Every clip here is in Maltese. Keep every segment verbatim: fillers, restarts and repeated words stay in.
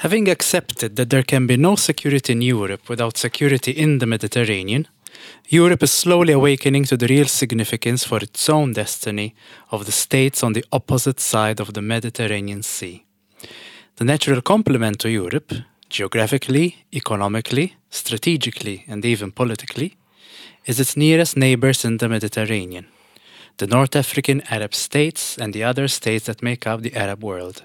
Having accepted that there can be no security in Europe without security in the Mediterranean, Europe is slowly awakening to the real significance for its own destiny of the states on the opposite side of the Mediterranean Sea. The natural complement to Europe, geographically, economically, strategically, and even politically, is its nearest neighbors in the Mediterranean, the North African Arab states and the other states that make up the Arab world.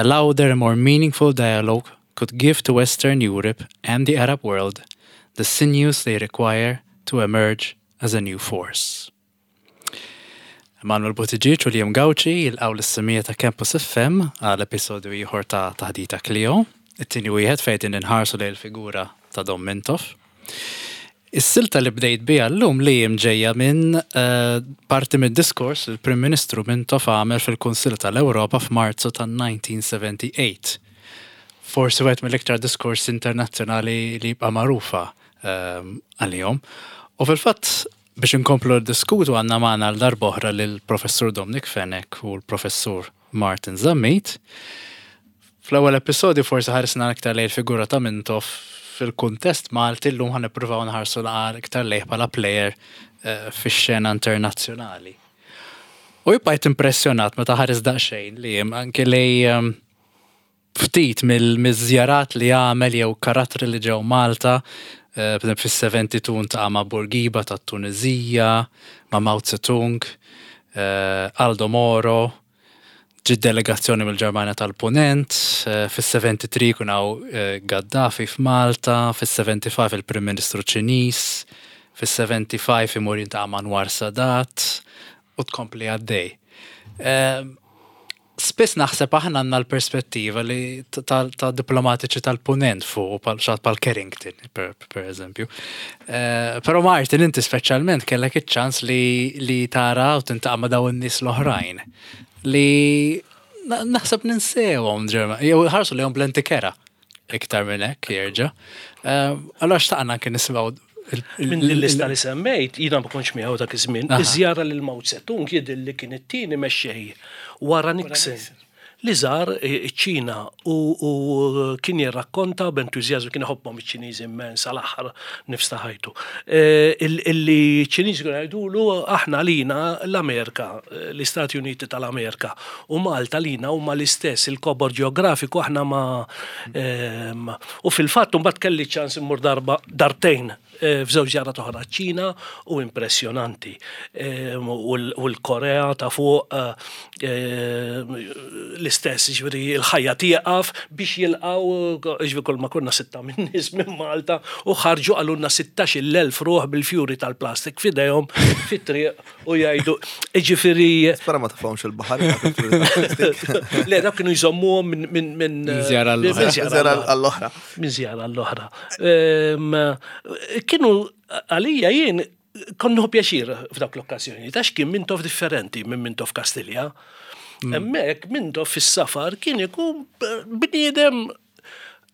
A louder and more meaningful dialogue could give to Western Europe and the Arab world the sinews they require to emerge as a new force. Emanuel Buttigieg u Liam Gauci jilqgħu lis-semmiegħa ta' Campus F M għal episodju ieħor ta' Taħdita Clio, it-tieni wieħed fejn inħarsu lejn il-figura ta' Dom Mintoff. Is-silta li bdejt biha llum li ġejja minn eh, parti mid-diskors li l-Prim Ministru Mintoff għamel fil-Kunsill tal-Ewropa f'Marzu tan-elf disa' mija u sebgħa u sebgħin. Forsi wieħed mill-iktar diskors internazzjonali li jibqa' magħrufa ehm, għalihom. U fil-fatt biex inkomplu diskutu għandna magħna għal darb'oħra lill-Professur Dominic Fenech u l-Professur Martin Zammit. Fl-ewwel episodju forsi ħarisna aktar lejn il-figura ta' Mintoff fil-kuntest Malti. Llum ħa nippruvaw nħarsu aktar lejh bħala player eh, fix-xena internazzjonali. U jibqajt impressjonat meta ħares daqsxejn li jem anke lej ehm, ftit mill-żjarat li għamel jew karattri li ġew Malta, eh, per eżempju fis-sebgħa u sebgħin iltaqa' ma' Bourguiba tat-Tunizija, ma' Mao Zedong, eh, Aldo Moro, ġi delegazzjoni mill-Ġermanja tal-Punent, eh, fis-tlieta u sebgħin kun hawn eh, Gaddafi f'Malta, fis-sebgħa u ħamsa il-Prim Ministru Ċiniż, fis-sebgħa u ħamsa imur jiltaqa' ma' Anwar Sadat u tkompli għaddej. Eh, Spiss naħseb aħna għandna l-perspettiva li ta' ta' diplomatiċi tal-Punent fuq pal xat pal Carrington, per, per eżempju. Eh, Però Martin, inti speċjalment kellek iċ-ċans li, li tara u tiltaqa' ma' dawn in-nies l-oħrajn li na- naħseb ninsewhom ġerma, jew ħarsu lejhom b'lenti kerha iktar minn hekk jerġa'. Eh, Allora xtaqna anke nisimgħu il- il- Minn din lista li semmejt, jiena ma kontx miegħu dak iż-żmien, Aha. iż-żjara lil Mao Zedong jidher li kien it-tieni mexxej wara Nixon li żar iċ-Ċina u, u kien jirrakkonta b'entużjażmu, kien iħobbhom iċ-Ċiniżi immens għal-aħħar nifs ta' ħajtu. Eh, il- Illi ċ-Ċiniżi kienu jgħidulu: "Aħna lina l-Amerika, eh, l-Istati Uniti tal-Amerika u Malta lina huma l-istess, il-kobor ġeografiku aħna ma ehm, u fil-fatt mbagħad kelli ċans immur darba darbtejn eh, f'żewġ żjarat oħra ċ-Ċina u impressjonanti. Ehm, U l- u l-Korea ta' fuq eh, eh, l-istess, ġifieri il-ħajja tieqaf biex jilqgħu, ġifieri kull ma konna sitta minn nies minn Malta u ħarġu qalulna sittax-il elf ruħ bil-fjuri tal-plastik f'idejhom fit-triq u jgħidu, ġifieri Spera ma tafhomx il-baħar. Le, dak kienu jżommuhom minn minn minn Minn żjara għall-oħra. minn żjara għall-oħra. Minn żjara l-oħra. Ehm, Kienu għalija jien konnu pjaċir f'dak l-okkażjoni, għax kien Mintoff differenti minn Mintoff Kastilja. Hemmhekk Mintoff fis-safar kien ikun bniedem,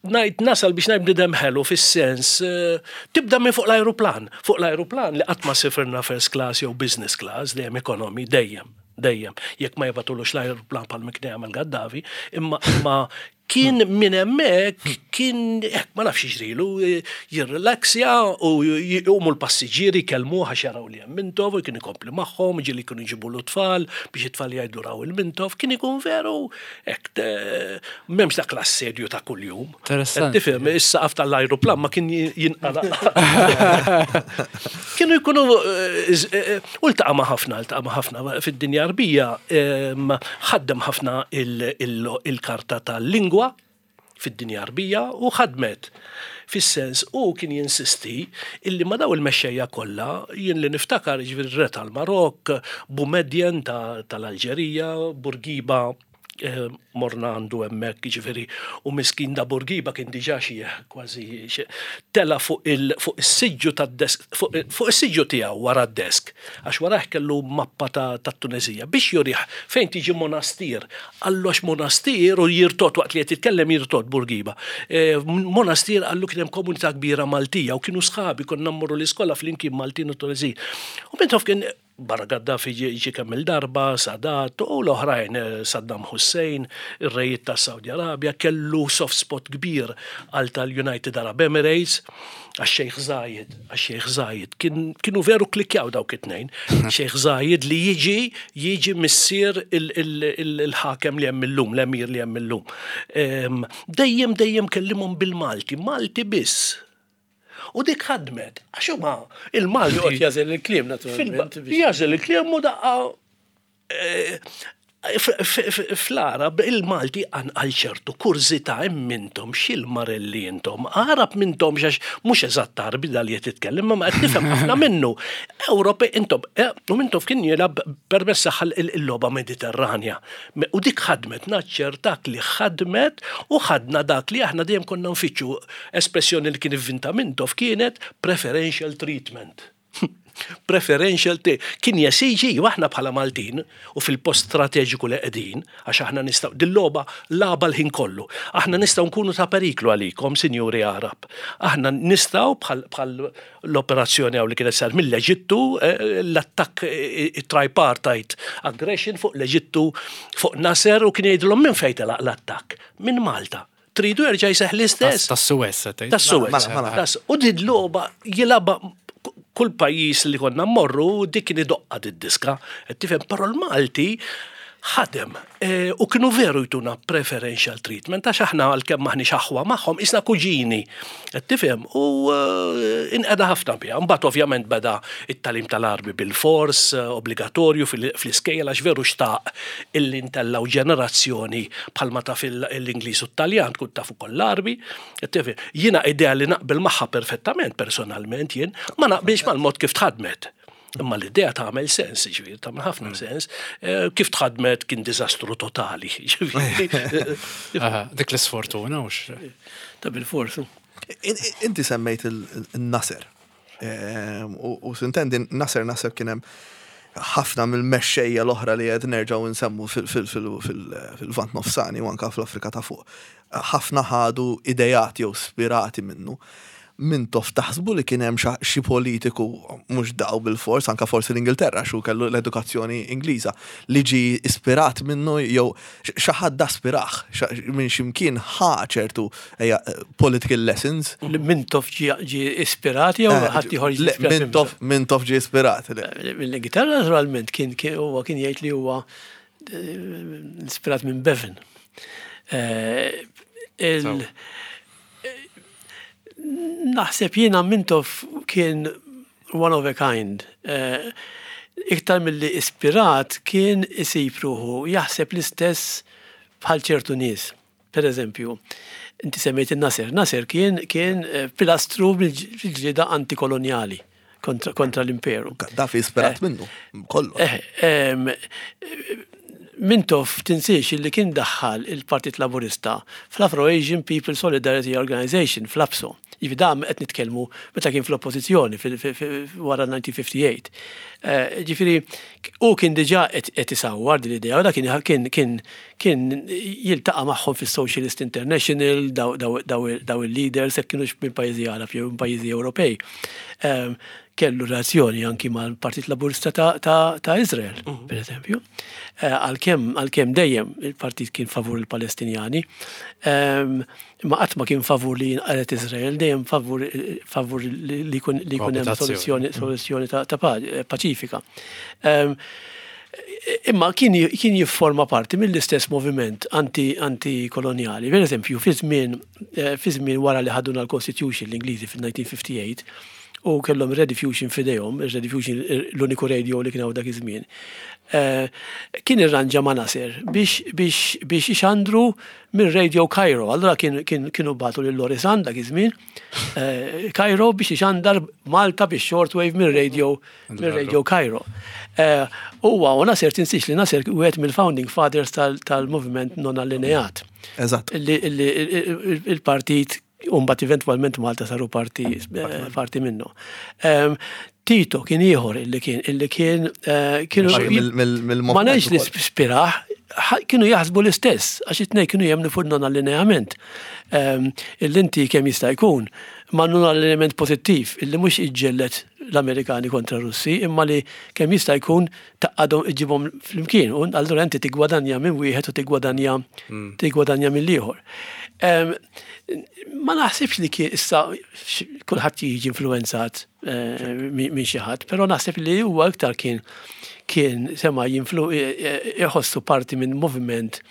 ngħid nasal biex ngħid bniedem ħelu fis-sens, eh, tibda minn fuq l-ajruplan. Fuq l-ajruplan li qatt ma sifirna first class jew business class, dejjem economy, dejjem, dejjem. Jekk ma jibagħtulux l-ajruplan bħal kien jagħmel Gaddafi, imma imma kien minn hemmhekk kien hekk, ma nafx jiġrilu, jirrelaxja u jqumu l-passiġġieri kellmu għax jaraw li hemm Mintoff u kien ikompli magħhom, ġieli kienu jġibu l-tfal biex it-tfal jgħidu raw il-Mintoff, kien ikun veru hekk, m'hemmx dak l-assedju ta' kuljum. Interessanti. Tifhem, is-saqaf tal-ajruplan ma kien jinqala. Kienu jkunu eh, eh, u ltaqa' ma' ħafna, ltaqa' ma' ħafna fid-dinja Arbija, em, ħaddem ħafna il- il- il-karta tal-lingwa fid-dinja Arbija u ħadmet. Fis-sens u kien jinsisti illi ma daw il-mexxejja kollha, jien li niftakar ġifieri re tal-Marok, Boumediene ta- tal-Alġerija, Bourguiba, eh, morna għandu hemmhekk ġifieri u miskin da Bourguiba kien diġà xi kważi xi- tela fuq il fuq is-siġġu tad-desk, fuq fuq is-siġġu tiegħu wara d-desk, għax warah kellu mappa ta' tat-Tunezija biex jurih fejn tiġi Monastir. Qallu għax Monastir, u jirtot waqt li qed jitkellem, jirtot Bourguiba. Eh, Monastir qallu kien hemm komunità kbira Maltija u kienu sħabi, konna mmorru l-iskola flimkien Maltin u Tunezija. U Mintoff kien Barra Gaddafi ġie kemm il-darba, Sadat u l-oħrajn, eh, Saddam Hussein, ir-rejiet ta' Saudi Arabia, kellu soft spot kbir għal tal-United Arab Emirates, għax-Sheikh Zayed, għax-Sheikh Zayed, kienu veru klikjaw dawk it-tnejn. Sheikh Zayed li jiġi, jiġi missier il-ħakem li hemm illum, l-emir li hemm illum. Dejjem dejjem kellimhom bil-Malti, Malti biss. U dik ħadmet, għax huma il-Malti. Joqgħod jagħżel il-kliem naturalment. Jagħżel il-kliem u daqqa eh, fl-Arab il-Malti għal ċertu kurżità mintom xil-marelli intom. Arab mintom xax mhux eżatt Arbi dal qed titkellem, ma qed nifhem ħafna minnu. Ewropej intom, eh, u mintom kien jilgħab permess il-logħba Mediterranja. U dik ħadmet, naċċertak li ħadmet u ħadna dak li aħna dejjem konna nfittxu espressjoni li kien ivvinta Mintoff kienet preferential treatment. Preferential te kien jesiġi aħna bħala Maltin u fil-post strateġiku li qegħdin għax aħna nistgħu dil-logħba lagħba l-ħin kollu. Aħna nistgħu nkunu ta' periklu għalikom, sinjuri Arab. Aħna nistgħu bħal l-operazzjoni hawn li kienet sar mill-Eġittu, eh, l-attakk eh, tripartite aggression fuq l-Eġittu fuq Nasser u kien jgħidilhom minn fejn telaq l-attakk? Minn Malta. Tridu jerġa' jseħħ l-istess. Tas-Suez. Tas-Suez. Mela, mela. U din logħba jilgħabha kull pajjiż li konna mmorru dik kien idoqqa d-diska, tifhem, però l-Malti ħadem e, u kienu veru jtuna preferential treatment għax aħna għalkemm maħniex aħwa magħhom isna kuġini, tifhem, u e, inqeda ħafna biha. Mbagħad ovvjament beda it-tagħlim tal-Għarbi bil-fors, e, obbligatorju fl-iskejjel għax veru xtaq illi ntellgħu ġenerazzjoni bħalma taf l-Ingliż u t-Taljan tkun taf ukoll l-Għarbi. Tifhem, jiena idea li naqbel magħha perfettament personalment jien, ma naqbilx mal-mod kif tħadmet. Imma l-idea tagħmel sens, ġifieri, tagħmel ħafna sens. Eh, Kif tħadmet kien diżastru totali, ġifieri. Aha, dik l-sfortuna ux. Ta' bil-forsu. In- in- Inti semmejt il-Nasser. Ehm, U u s'intendi Nasser Nasser kien hemm ħafna mill-mexxejja l-oħra li qed nerġgħu nsemmu fil-Lvant Nofsani u anka fl-Afrika ta' fuq. Ħafna ħadu idejat jew spirati minnu. Mintoff taħsbu li kien hemm xi politiku mhux daw bil-fors, anka forsi l-Ingilterra xu kellu l-edukazzjoni Ingliża li ġi ispirat minnu jew xi ħadd aspirah minn ximkien ħa ċertu ejja, political lessons. Li Mintoff ġi ġi ispirat jew Eh, ħadd ieħor ġi le, ispirat minnu? Mintoff Mintoff ġi ispirat. le. Mill-Ingilterra naturalment kien kien huwa kien jgħid li huwa eh, ispirat minn Bevan. Eh, il- Naħseb jiena Mintoff kien one of a kind. Eh, Iktar mill-li ispirat kien isib ruħu jaħseb l-istess bħal ċertu nies. Per eżempju, inti semmejt il-Nasser. Nasser kien, kien eh, pilastru bil-ġlieda antikoloniali kontra, kontra l-imperu. Gaddafi ispirat minnu, kollu. Eh, em, Mintoff tinsiex li kien daħħal il-Partit Laburista fl-Afro-Asian People Solidarity Organization, fl-APSO. Jiġifieri dam qed nitkellmu meta kien fl-oppożizzjoni fil- fil- fil- wara elf disa' mija u ħamsa u ħamsin. Eh, Ġifieri, u kien diġà qed qed isawwar din l-idea, u da kien kien kien kien jiltaqa' magħhom fis-Socialist International, daw daw daw daw il-leaders, jekk kienux minn pajjiżi Arab jew minn pajjiżi Ewropej. Em, Kellu relazzjoni anki mal-Partit Laburista ta', ta, ta' Izrael, per eżempju. Eh, Għalkemm għalkemm dejjem il-partit kien favur il-Palestinjani, em, ma qatt ma kien favur li jinqaret Izrael, dejjem favur favur li li jkun li jkun hemm Koabitazzjoni. soluzzjoni soluzzjoni ta', ta' pa- paċifika. Em, Imma kien kien jifforma parti mill-istess moviment anti antikoloniali. Per eżempju, fi żmien eh, fi żmien wara li ħaduna l-Constitution l-Ingliżi fil-elf disa' mija u ħamsa u disgħin u kellhom Rediffusion f'idejhom, Rediffusion l-uniku radio li kien hawn dak iż-żmien. Eh, Kien irranġa ma' Nasser biex biex biex ixandru minn Radio Cairo. Allora kien kien kienu bagħtu lil Lorry Sant dak iż-żmien eh, Cairo biex ixandar Malta biex shortwave minn Radio minn Radio Cairo. Eh, Huwa u Nasser tinsiex li Nasser wieħed mill-founding fathers tal- tal-moviment non allineat. Eżatt. Illi illi il- il-partit Umbat eventualment Malta saru parti, eh, parti minnu. Em, Tito kien ieħor illi kien illi kien eh, kienu Parti mill- mill- mill-movement ma ngħidx li ukoll. spiraħ, ħa- kienu jaħsbu l-istess, għax it-tnejn kienu jemmnu fuq non allineament. Illi inti kemm jista' jkun Ma l-element pozittiv illi mhux iġġellet l-Amerikani kontra Russi, imma li kemm jista' jkun tgħaqqadhom, iġibhom flimkien, u allura inti tigwadanja minn wieħed u tigwadanja mm. tigwadanja mill-ieħor. Ma naħsibx li kien, issa kulħadd jiġi influenzat eh, minn xi ħadd, però naħseb li huwa iktar kien kien sema jinflu iħossu parti minn moviment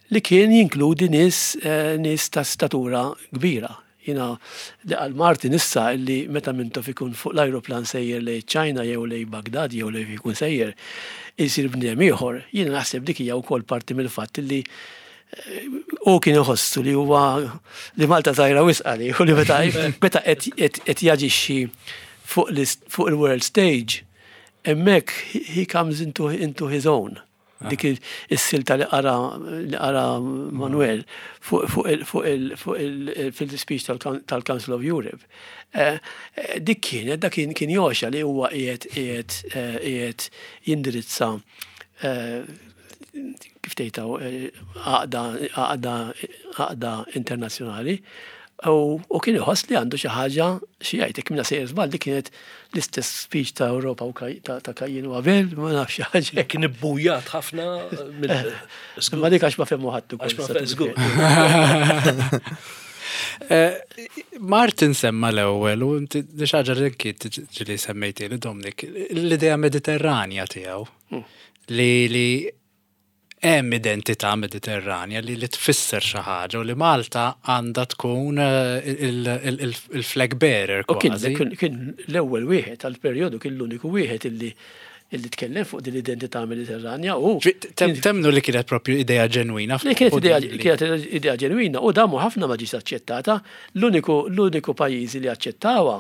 li kien jinkludi nies eh, nies ta' statura kbira. Jiena li għal Martin issa illi meta Mintoff ikun fuq l-aeroplan sejjer lejn China jew lejn Bagdad jew lejn ikun sejjer, isir bniedem ieħor. Jiena naħseb dik hija wkoll parti mill-fatt illi eh, u kien iħossu li huwa li Malta żgħira wisq li u li meta meta qed jaġixxi fuq il-world stage, hemmhekk he comes into, into his own. Ah. Dik is-silta li qara li qara Manuel fuq fil-speech tal-Council of Europe. Eh, eh, dik kienet, dak kien joxa li huwa qiegħed qiegħed eh, qiegħed jindirizza, kif tgħidaw, għaqda għaqda internazzjonali. U kien iħoss li għandu xi ħaġa xi jgħid. Jekk minna sejjer żball, li kienet l-istess speech ta' Ewropa u ta' Kajjin u Abel, ma nafx xi ħaġa. Kien ibbujat ħafna. Ma dik għax ma fehmu ħadd. Għax ma żgur. Eh, Martin semma l-ewwel u inti xi ħaġa li ġieli semmejti li Dominic, l-idea Mediterranja tiegħu hmm. li li hemm identità Mediterranja li li tfisser xi ħaġa u li Malta għandha tkun eh, il-flag bearer kważi. Kien l-ewwel wieħed għal-perjodu, kien l-uniku wieħed illi illi tkellem fuq din l-identità Mediterranja u Temnu li kienet propju idea ġenwina? Li kienet idea kienet idea ġenwina u damu ħafna ma ġiet aċċettata. L-uniku l-uniku pajjiżi li aċċettawha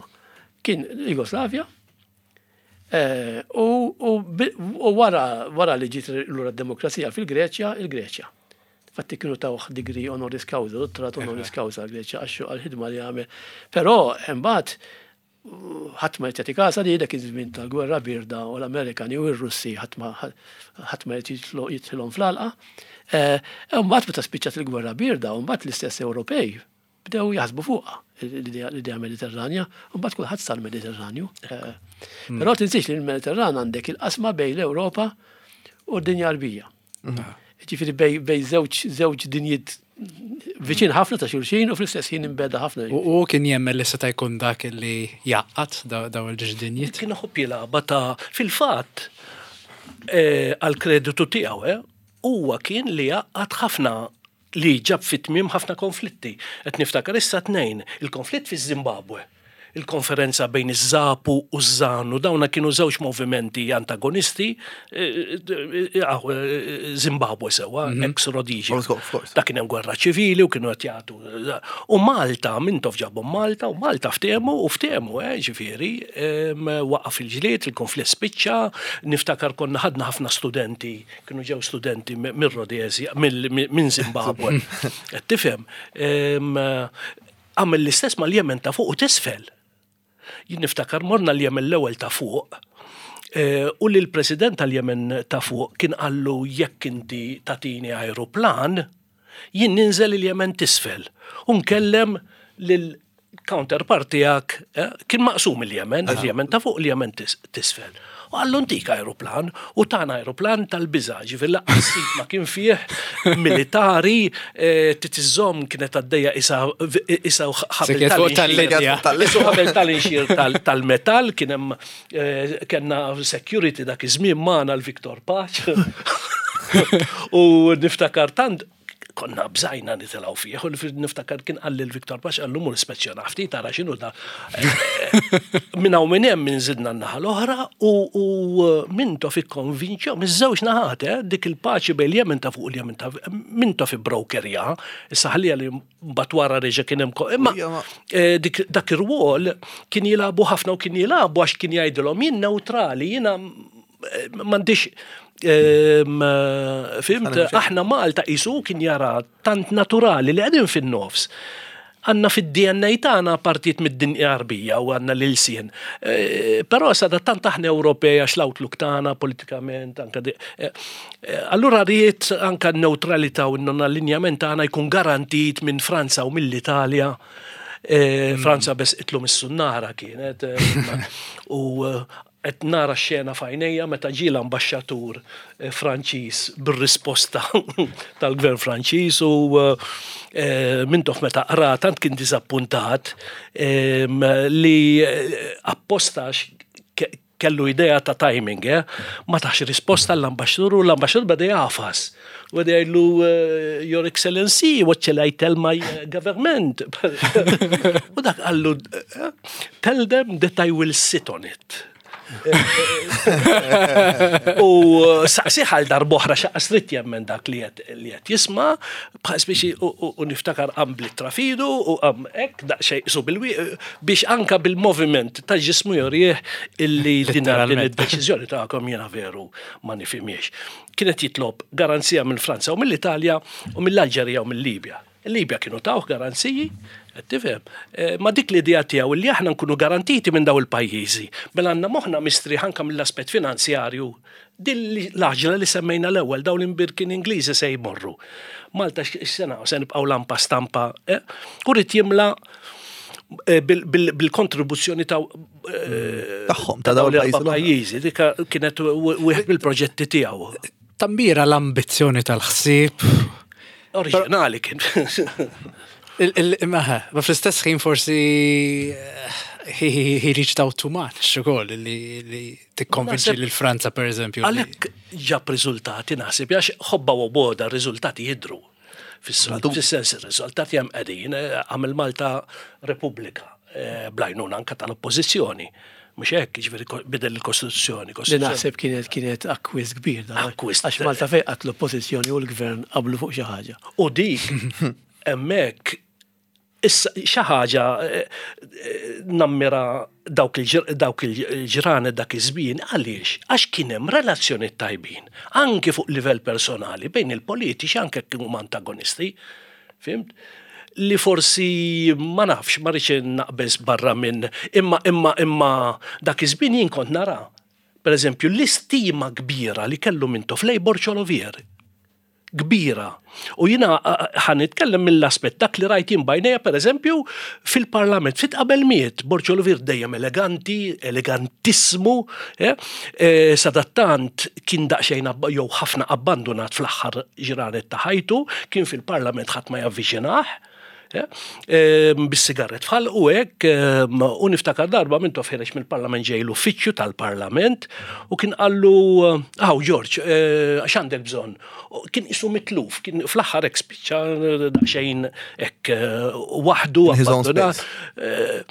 kien Jugoslavja. Eh, u wara wara li ġiet lura d-demokrazija fil-Greċja, il-Greċja. Fatti kienu tawh degree honoris causa, dottorat honoris causa għal-Greċja għax għal-ħidma li għamel. Però imbagħad ħadd ma jagħti kasa li dak iż-żmien tal-gwerra birda u l-Amerikani u r-Russi ħadd ma ħadd ma jidħilhom fl-għalqa. Eh, imbagħad meta spiċċat il-gwerra birda, u mbagħad l-istess Ewropej bdew jaħsbu fuqha l-idea Mediterranja, u mbagħad kulħadd sar Mediterranju. Eh, hmm. Però tinsiex li l-Mediterran għandek il-qasma bejn l-Ewropa u d-dinja Għarbija. Hmm. Ġifieri bejn żewġ żewġ dinjiet viċin ħafna ta' xulxin u fl-istess ħin imbegħda ħafna. U kien jemmen li seta' jkun dak li jgħaqqad daw il-żewġ dinjiet? Kien iħobb jilgħabha ta' fil-fatt eh, għal-kreditu tiegħu, eh, huwa kien li jgħaqqad ħafna, li ġab fit-tmiem ħafna konflitti. Qed niftakar issa tnejn, il-konflitt fi Zimbabwe, il-konferenza bejn iż-ZAPU u ż-ZANU, dawna kienu żewġ movimenti antagonisti, eh, eh, eh, Zimbabwe sewa, mhm. ex-Rhodesia. Da kien hemm gwerra ċivili u kienu qed jagħtu. U Malta, Mintoff ġabhom Malta u Malta ftehmu u ftehmu, ġifieri, waqaf il-ġlied, il-konflitt spiċċa, niftakar konna ħadna ħafna studenti, kienu ġew studenti mir-Rhodesia, minn Zimbabwe. Tifhem, għamel l-istess mal-Jemen ta' fuq u t'isfel. Jien niftakar morna l-Jemen l-ewwel ta' fuq eh, u li l-president tal-Jemen ta' fuq kien qallu: "Jekk inti tatini aeroplan, jien ninżel il-Jemen t'isfel u nkellem lil counterpart tiegħek." eh, kien maqsum il-Jemen, il-Jemen ta' fuq, il-Jemen t'isfel. U qallu: "Ntik aeroplan", u tana aeroplan tal-biża', ġifieri lanqas ma kien fih militari, eh, titizzom kienet għaddejja isa isa ħabel tal-inxir tal-metal, kien hemm eh, kellna security dak iż-żmien magħna l-Victor Pace. U niftakar tant konna bżajna nitilgħu fih, u niftakar kien qalli l-Victor Pace, qallu: "Mur ispezzjona ftit, tara x'inhu da." Minn hawn minn hemm minn zidna n-naħa l-oħra u Mintoff ikkonvinċew miż-żewġ naħat, eh, dik il-paċi bejn Jemen ta' fuq il-Jemen ta' Mintoff brokerja, issa ħallija li mbagħad wara reġa' kien hemm, imma eh, dak ir-rwol kien jilagħbu ħafna u kien jilagħbu għax kien jgħidilhom: "Jien neutrali, jiena eh, m'għandix." Fhimt, aħna Malta isu kien jara tant naturali li qegħdin fin-nofs. Għandna fid-D N A tagħna partijiet mid-dinja Għarbija u għandna l-ilsien. E, però sada tant aħna Ewropej għax l-outlook tagħna politikament anka e, e, allura ried anka n-neutralità u n-non-allinjament tagħna jkun garantit minn Franza u mill-Italja. Eh, Franza beżqitlu mis-sunnara kienet eh, u eh, qed nara xena f'għajnejja meta ġie l-ambaxxatur eh, Franċiż bir-risposta tal-gvern Franċiż u eh, Mintoff meta qra tant kien diżappuntat em, li eh, apposta ke- kellu idea ta' timing, eh? Ma tax risposta l-ambaxxatur u l-ambaxxatur beda jagħfas. U beda jgħidlu, eh, "Your Excellency, what shall I tell my eh, government?" U dak qallu, eh, "Tell them that I will sit on it." U saqsieh għal darb'oħra x'aqas ried jemmen dak li qed li qed jisma', bħal speċi u- u u niftakar qam bl-ittra f'idu u qam hekk daqsxejn su bil biex anka bil-moviment ta' ġismu jurih illi din din Letteralment. id-deċiżjoni tagħkom jiena veru ma nifhimiex. Kienet jitlob garanzija minn Franza u mill-Italja u mill-Alġerija u mill-Libja. Il-Libja kienu tawh garanziji, qed tifhem. Eh, Ma dik l-idea tiegħu li aħna nkunu garantiti minn daw il-pajjiżi. Mela għandna moħħna mistrieħ anka mill-aspett finanzjarju. Din li- l-għaġla li semmejna l-ewwel, dawn l-imbierkin Ingliżi se jmorru. Malta x'sena se nibqgħu lampa stampa. eh? U ried jimla eh, bil- bil- bil-kontribuzzjoni ta' eh, Tagħhom, ta' dawn dawn il-pajjiżi l-oħra. pajjiżi. Dika kienet wieħed mill-proġetti tiegħu. Tambira l-ambizzjoni tal-ħsieb. Oriġinali kien. Il- il- Imma ma fl-istess ħin forsi eh, he, he, he reached out too much ukoll li, li tikkonvinċi Naħseb- lil Franza, per eżempju. li- Għalhekk ġab riżultati, naħseb, għax ħobba u boda riżultati jidru. Fis-sens ir-riżultati hemm qegħdin, eh, għamel Malta Repubblika eh, bl-għajnuna anka tal-oppożizzjoni. Mhux hekk, jiġifieri ko- bidel il-Kostituzzjoni. Li Kostituzzjoni. naħseb kienet kienet akkwist kbir da. Akkwist. Għax Malta fejn qatt l-oppożizzjoni u l-gvern qablu fuq xi ħaġa. U dik hemmhekk issa xi ħaġa eh, eh, nammira dawk il-ġir- dawk il-ġranet, dak iż-żmien. Għaliex? Għax kien hemm relazzjoni tajbin anke fuq livell personali bejn il-politiċi, anke kienu huma antagonisti. Fhimt? Li forsi ma nafx, ma rridx naqbeż barra minn imma imma imma dak iż-żmien jien kont nara, per eżempju, l-istima kbira li kellu Mintoff lejn Borg Olivier, kbira. U jina ħa nitkellem mill-aspett dak li rajt jien b'għajnejja, per eżempju, fil-parlament, fit qabel miet, Borg Olivier dejjem eleganti, elegantissimu, eh? eh, sadattant kien daqsxejn abba- jew ħafna abbandonat fl-aħħar ġranet ta' ħajtu, kien fil-parlament ħadd ma javviċinah, eh, eh, bis-sigaret f'ħalqu hekk, em, u niftakar darba Mintoff ħiereġ mill-parlament ġej l-uffiċċju tal-parlament u kien qallu, "Aw George, eh, x'għandek bżonn?" U kien isu mitluf, kien fl-aħħar hekk spiċċa eh, daqsxejn hekk eh, waħdu In his own abbandonat. space. Eh,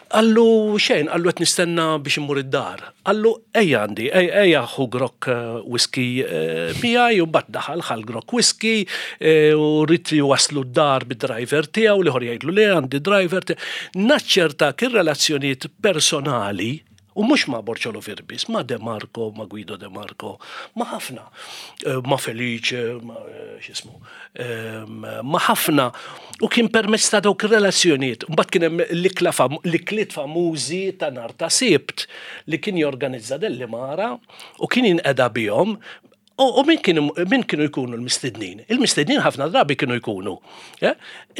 Qallu xejn, qallu qed nistenna biex immur id-dar. Qallu ejja għandi, ejja ejja ħu grokk eh, whisky eh, miegħi. U mbagħad daħal ħa l-grokk whisky eh, u ried waslu d-dar bid-driver tiegħu, l-ieħor jgħidlu le, għandi driver tiegħu. Naċċerta kien relazzjonijiet personali u mhux ma' Borg Olivier biss, ma' De Marco, ma' Guido De Marco, ma' ħafna, eh, ma' Felice, ma' eh, x'ismu, em, ma' ħafna. U kien permezz ta' dawk ir-relazzjonijiet. Mbagħad kien hemm l-ikla fam- l-ikliet famużi ta' nhar ta' Sibt li kien jorganizza Dellimara u kien jinqeda bihom. U, u min kienu, min kienu jkunu l-mistednin? Il-mistednin ħafna drabi kienu jkunu, eh?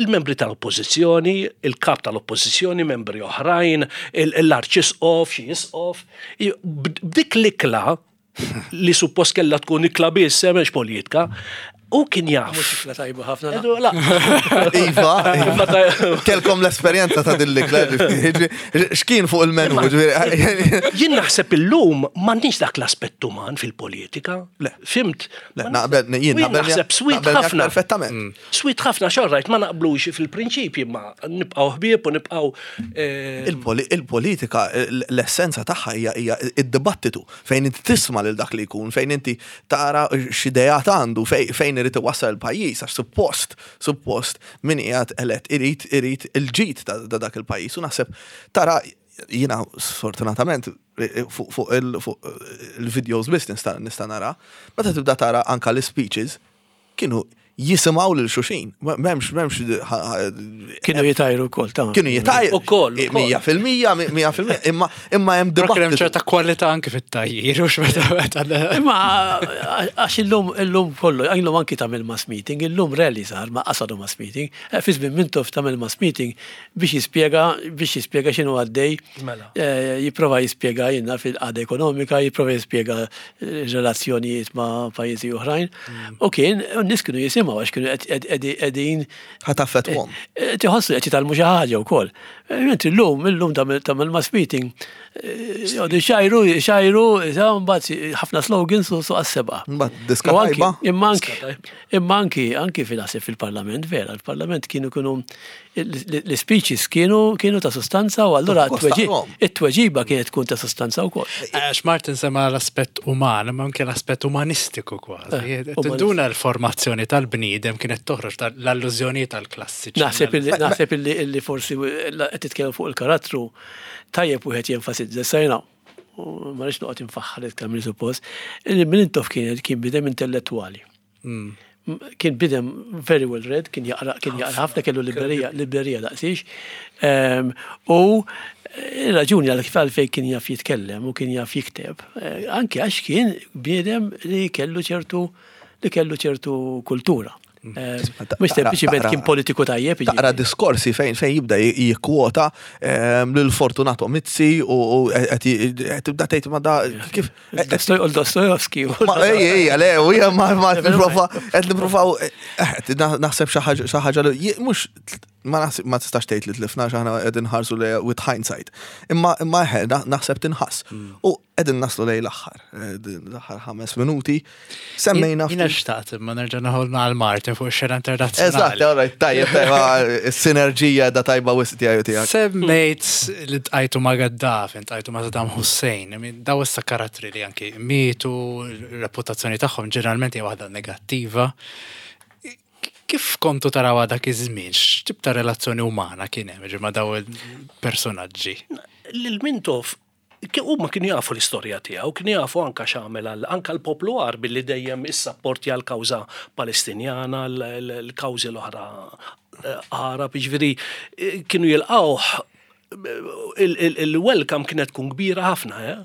Il-membri tal-oppozizjoni, il-kap tal-oppozizjoni, membri oħrajn, il- l-arċisqof, xi isqof. I- b'dik l-ikla li suppost kellha tkun ikla biss, eh, mhux politika, u kien jaf. Mhux ikla tajba ħafna. Edu, la. Iva, iva. Kelkom l-esperjenza ta' din l-ikla, ġifieri, x'kien fuq il-menu, ġifieri? Jien naħseb illum m'għandniex dak l-aspett uman fil-politika. Le. Fhimt? Le, naqbel, jien U jien naqbel naħseb sweet naqbel miegħek ħafna. Perfettament. Sweet ħafna xorrajt ma naqblux fil-prinċipji, ma nibqgħu ħbieb u nibqgħu eh, Il-poli- Il-politika, l-essenza tagħha hija hija id-dibattitu fejn inti tisma' lil dak li jkun, fejn inti tara x'ideat għandu, fejn fejn irid iwassal il-pajjiż, għax suppost, suppost min qiegħed elett irid irid il-ġid ta' ta' dak il-pajjiż. U naħseb tara jiena sfortunatament fuq fuq il- fuq il-videos biss nista' nista' nara, meta tibda tara anka l-speeches kienu Jisimgħu lil xulxin. M'hemmx, m'hemmx. Kienu jitajru wkoll ta' Kienu jitajru. Ukoll, ukoll. Mija fil-mija, mija fil-mija, imma imma hemm Però kien hemm dibattitu. ċerta kwalità anke fit-tgħajjir, u x'meta meta Imma għax illum illum kollu, illum anki tagħmel mass meeting, illum rarely sar ma qasadu mass meeting. Eh, fi żmien Mintoff tagħmel mass meeting biex jispjega biex jispjega x'inhu għaddej. Mela. Eh, Jipprova jispjega jiena fil-qagħda ekonomika, jipprova jispjega eh, relazzjonijiet ma' pajjiżi oħrajn. U kien, u n-nies kienu jisimgħu għax kienu qegħdin Ħa taffettwahom. Eh, Tiħossu qed jitgħallmu xi ħaġa wkoll. Eh, Mentri llum, illum tagħmel tagħmel mass meeting, eh, jgħodu xajru, xajru, mbagħad ħafna slogans u suq għas-seba. Mbagħad diska U anki- tajba. Imma anki, imma anki, anki fil-ħasib fil-parlament, vera, il-parlament kienu kienu, l-speeches kienu kienu ta' sostanza u allura Kosta it-tweġi- it-tweġiba kienet tkun ta' sostanza wkoll. Għax Martin sema l-aspett uman, ma anke l-aspett umanistiku kważi. Eh, Tinduna l-formazzjoni tal-bniedem kienet toħroġ l-allużjoni tal-klassiċi. Naħseb illi naħseb illi illi forsi qed titkellem fuq il-karattru tajjeb wieħed jenfasizza sajna. U ma rridx noqgħod infaħħar iktar minn suppost, illi Mintoff kien kien bniedem intellettwali. Mm. Kien bniedem very well read, kien jaqra kien jaqra ħafna kellu librerija librerija daqsix. Ehm, U raġuni għal kif għalfejn kien jaf jitkellem u kien jaf jikteb, eh, anke għax kien bniedem li kellu ċertu li kellu ċertu kultura. Eh, Mhux sempliċiment kien politiku tajjeb. Taqra diskorsi fejn fejn jibda jikkwota ehm, lil Fortunato Mizzi u u qed qed tibda tgħid ma da kif Dostoy- Dostoyevsky. Ma ej ej le u hija ma ma nipprova qed nippruvaw eh, naħseb xi ħaġa xi ħaġa li mhux ma naħseb ma tistax tgħid li tlifna x'aħna qegħdin nħarsu li with hindsight. Imma imma eħe naħseb tinħass. U qegħdin naslu lejn l-aħħar, eh, l-aħħar ħames minuti. Semmejna Jiena xtaqt imma nerġa' naħol għal Martin fuq ix-xena internazzjonali. Eżatt, all right, tajjeb, tajjeb, is-sinerġija da tajba wisq tiegħi u tiegħek. Semmejt li ltqajtu ma' Gaddafi, ltqajtu ma' Saddam Hussein, I mean, daw issa karattri li anki mietu, reputazzjoni tagħhom ġeneralment hija waħda negattiva. Kif kontu taraw dak iż-żmien? X'tip ta' relazzjoni umana kien hemm ġi ma' daw il-personaġġi? Lil Mintoff huma kienu jafu l-istorja tiegħu, kienu jafu anka x'għamel għal anka l-poplu Għarbi li dejjem issapportja l-kawża Palestinjana, l-kawżi l-oħra Għarab, jiġifieri eh, kienu jilqawh il-welcome kienet tkun kbira ħafna, eh?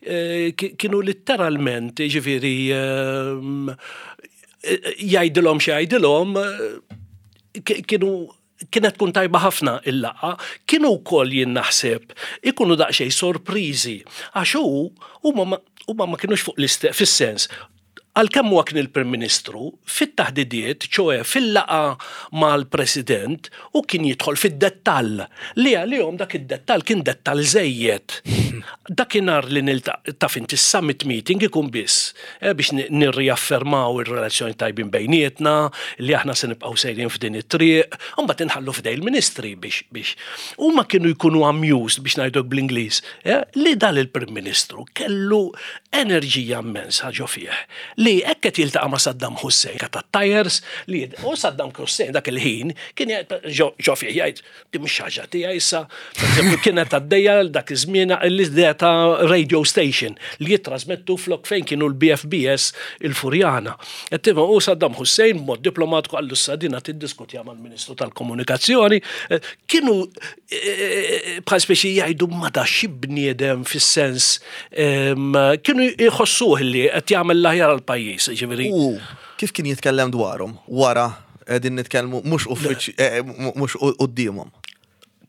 Eh, kienu letteralment, ġifieri, ehm, jgħidilhom xi jgħidilhom, kienu kienet tkun tajba ħafna il-laqgħa, kienu wkoll jien naħseb ikunu daqsxejn sorpriżi għax hu huma ma kienux fuq l-istess fis-sens għalkemm huwa kien il-Prim Ministru, fit-taħdidiet, ċoè fil-laqgħa mal-President, u kien jidħol fid-dettall. Li għalihom dak id-dettall kien dettall żejjed. Dakinhar li taf inti summit meeting ikun biss eh, biex nirriaffermaw ir-relazzjoni tajbin bejnietna, li aħna se nibqgħu sejrin f'din it-triq, u mbagħad inħallu f'idej il-ministri biex biex. Huma kienu jkunu amused biex ngħiduk bl-Ingliż, eh, li dal il-Prim Ministru kellu enerġija immensa ġo fih li hekk qed jiltaqa' ma' Saddam Hussein ta' tires li u Saddam Hussein dak il-ħin kien ġo fih jgħid di mhux ħaġa tiegħi issa pereżempju kienet għaddejja dak iż-żmien l-idea ta' radio station li jittrasmettu flok fejn kienu l-B F B S il-Furjana. Qed u Saddam Hussein mod diplomatiku qallu sadina tiddiskutja mal-Ministru tal-Komunikazzjoni kienu eh, bħal speċi jgħidu ma da xi bniedem fis-sens kienu jħossuh li qed jagħmel l-aħjar għall-pajjiż, ġifieri. U kif kien jitkellem dwarhom wara qegħdin nitkellmu mhux uffiċ eh, mhux quddiemhom.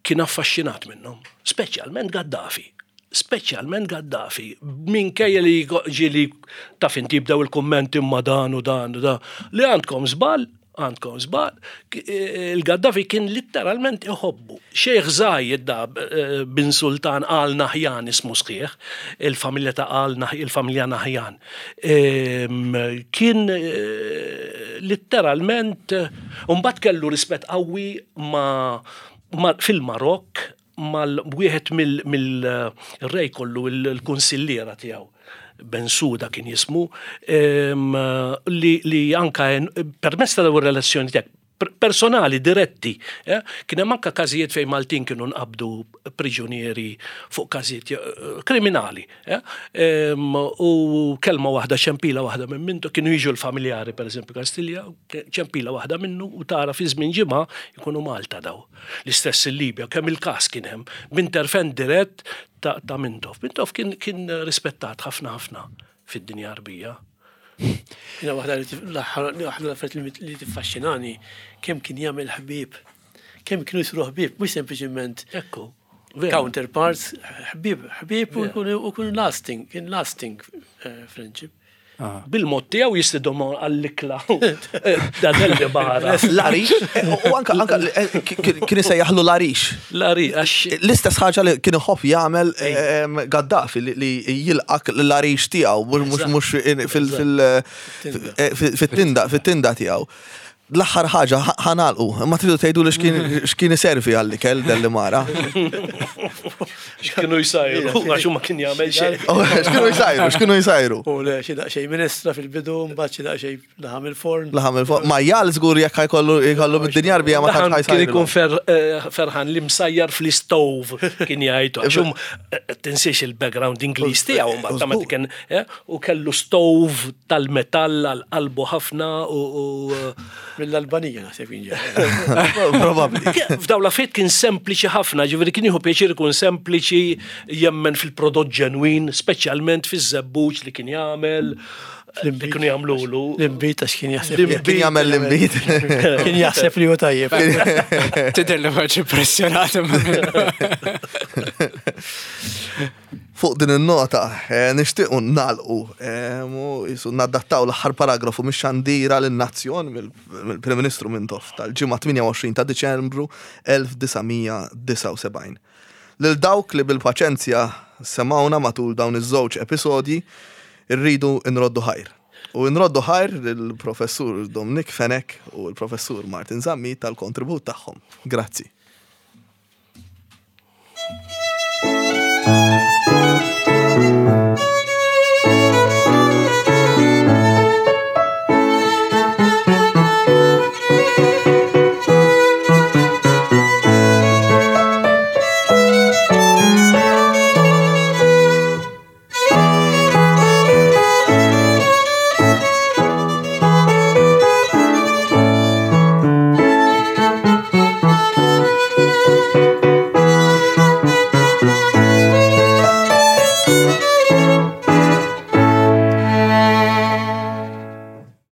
Kien affaxxinat minnhom, speċjalment Gaddafi. Speċjalment Gaddafi, minkejja li ġieli taf inti jibdew il-kummenti ma dan u dan u dan, li għandkom żball, għandkom żball, il-Gaddafi kien letteralment iħobbu. Sheikh Zayed da eh, bin Sultan Al Nahyan ismu sħiħ, il-familja ta' Al il-familja Nahyan. Kien eh, letteralment, mbagħad kellu rispett qawwi ma' fil-Marok mal-wieħed mill-rej kollu il-kunsilliera tiegħu. Bensuda kien jismu, li, li anka permezz ta' dawn relazzjoni tiegħek Personali, diretti. Eh? Kien hemm anke każijiet fejn Maltin kienu nqabdu priġunieri fuq każijiet eh, kriminali. Eh? U kelma waħda, ċempila waħda minn mintu, kienu jiġu l-familjari, per eżempju, Kastilja, ċempila waħda minnu u tara fi żmien ġimgħa jkunu Malta daw. L-istess il-Libja, kemm il-każ kien hemm, b'intervent dirett ta', ta Mintoff. Mintoff kien, kien rispettat ħafna ħafna fid-dinja Arbija. Jiena waħda l-affarijiet li tiffaxxinani kemm kien jagħmel ħbieb. Kemm kienu jsiru ħbieb, mhux sempliċiment Ekku. Counterparts, ħbieb, ħbieb u jkunu lasting, kien lasting eh, friendship. Ah. Bil-mod tiegħu jistidhom għall-ikla. Dan li barra. L-għarix, u anka anka eh, kien isejjaħlu l-għarix. L-għarix. L-istess ħaġa li kien iħobb jagħmel Gaddafi li jilqak l-għarix tiegħu mhux mhux fil-tinda fit-tinda tiegħu. L-aħħar ħaġa ħa nagħlqu, ma tridu tgħidu li x'kien iservi għall-ikel Dellimara. X'kienu jsajru, għax ma kien jagħmel xejn. Oh, x'kienu jsajru, x'kienu jsajru. U le xi daqsxejn minestra fil-bidu, mbagħad xi daqsxejn laħam il-forn. Laħam il-forn. Majjal żgur jekk ħajkollu jkollu bid-dinja Arbija ma tantx ħajsajru. Kien ikun eh, ferħan li msajjar fl-istove kien jgħidu. Għax eh, tinsiex il-background Ingliż tiegħu mbagħad ta' meta kien eh, u kellu stove tal-metall għal qalbu ħafna u Mill-Albanija naħseb kien ġej. Probabbli. F'dawn l-affarijiet kien sempliċi ħafna, ġifieri kien jieħu pjaċir ikun sempliċi, jemmen fil-prodott ġenwin, speċjalment fiż-żebbuġ li kien jagħmel, li kienu jagħmlulu. L-imbit għax kien jaħseb. Kien jagħmel l-imbit. Kien jaħseb li hu tajjeb. Tidher li ma impressjonat. Fuq din il-nota, eh, nixtiequ nagħlqu, eh, u jisu nadattaw l-aħħar paragrafu mix-xandira lin-nazzjon mill-Prim Ministru Mintoff tal-ġimgħa tmienja u għoxrin ta' Diċembru elf disa' mija disgħa u sebgħin. Lil dawk li bil-paċenzja semawna matul dawn iż-żewġ episodji, irridu nroddu ħajr. U nroddu ħajr lill-Professur Dominic Fenech u l-Professur Martin Zammit tal-kontribut tagħhom. Grazzi.